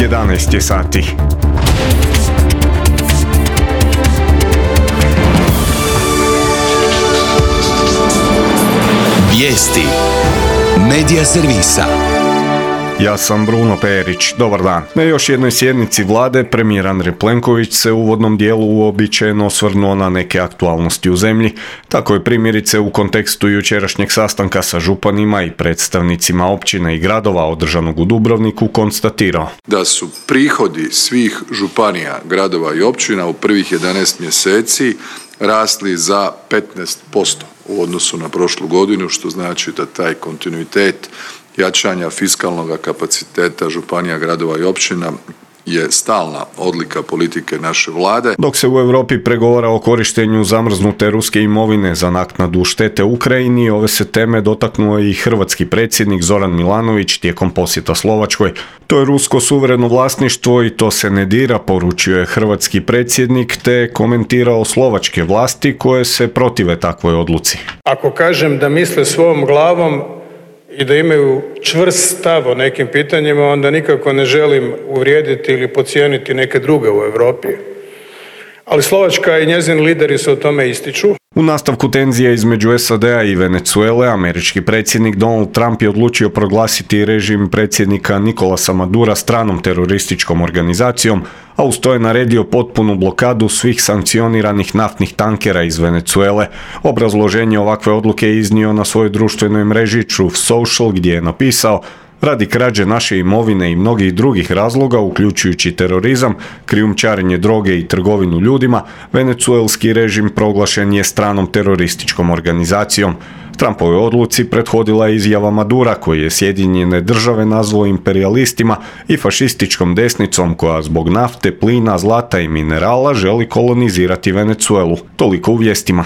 11 je sati. Vijesti Medija servisa. Ja sam Bruno Perić, dobar dan. Na još jednoj sjednici vlade premijer Andrej Plenković se u uvodnom dijelu uobičajeno osvrnuo na neke aktualnosti u zemlji. Tako je primjerice u kontekstu jučerašnjeg sastanka sa županima i predstavnicima općina i gradova održanog u Dubrovniku konstatirao da su prihodi svih županija, gradova i općina u prvih 11 mjeseci rasli za 15% u odnosu na prošlu godinu, što znači da taj kontinuitet jačanja fiskalnog kapaciteta županija, gradova i općina je stalna odlika politike naše vlade. Dok se u Europi pregovara o korištenju zamrznute ruske imovine za naknadu štete Ukrajini, ove se teme dotaknuo i hrvatski predsjednik Zoran Milanović tijekom posjeta Slovačkoj. To je rusko suvereno vlasništvo i to se ne dira, poručio je hrvatski predsjednik, te komentirao slovačke vlasti koje se protive takvoj odluci. Ako kažem da misle svojom glavom i da imaju čvrst stav o nekim pitanjima, onda nikako ne želim uvrijediti ili podcijeniti neke druge u Europi. Ali Slovačka i njezini lideri se o tome ističu. U nastavku tenzija između SAD-a i Venezuele, američki predsjednik Donald Trump je odlučio proglasiti režim predsjednika Nicolasa Madura stranom terorističkom organizacijom, a uz to je naredio potpunu blokadu svih sankcioniranih naftnih tankera iz Venezuele. Obrazloženje ovakve odluke je iznio na svojoj društvenoj mreži Truth Social, gdje je napisao: radi krađe naše imovine i mnogih drugih razloga, uključujući terorizam, krijumčarenje droge i trgovinu ljudima, venecuelski režim proglašen je stranom terorističkom organizacijom. Trumpovoj odluci prethodila je izjava Madura, koji je Sjedinjene Države nazvao imperijalistima i fašističkom desnicom koja zbog nafte, plina, zlata i minerala želi kolonizirati Venecuelu. Toliko u vijestima.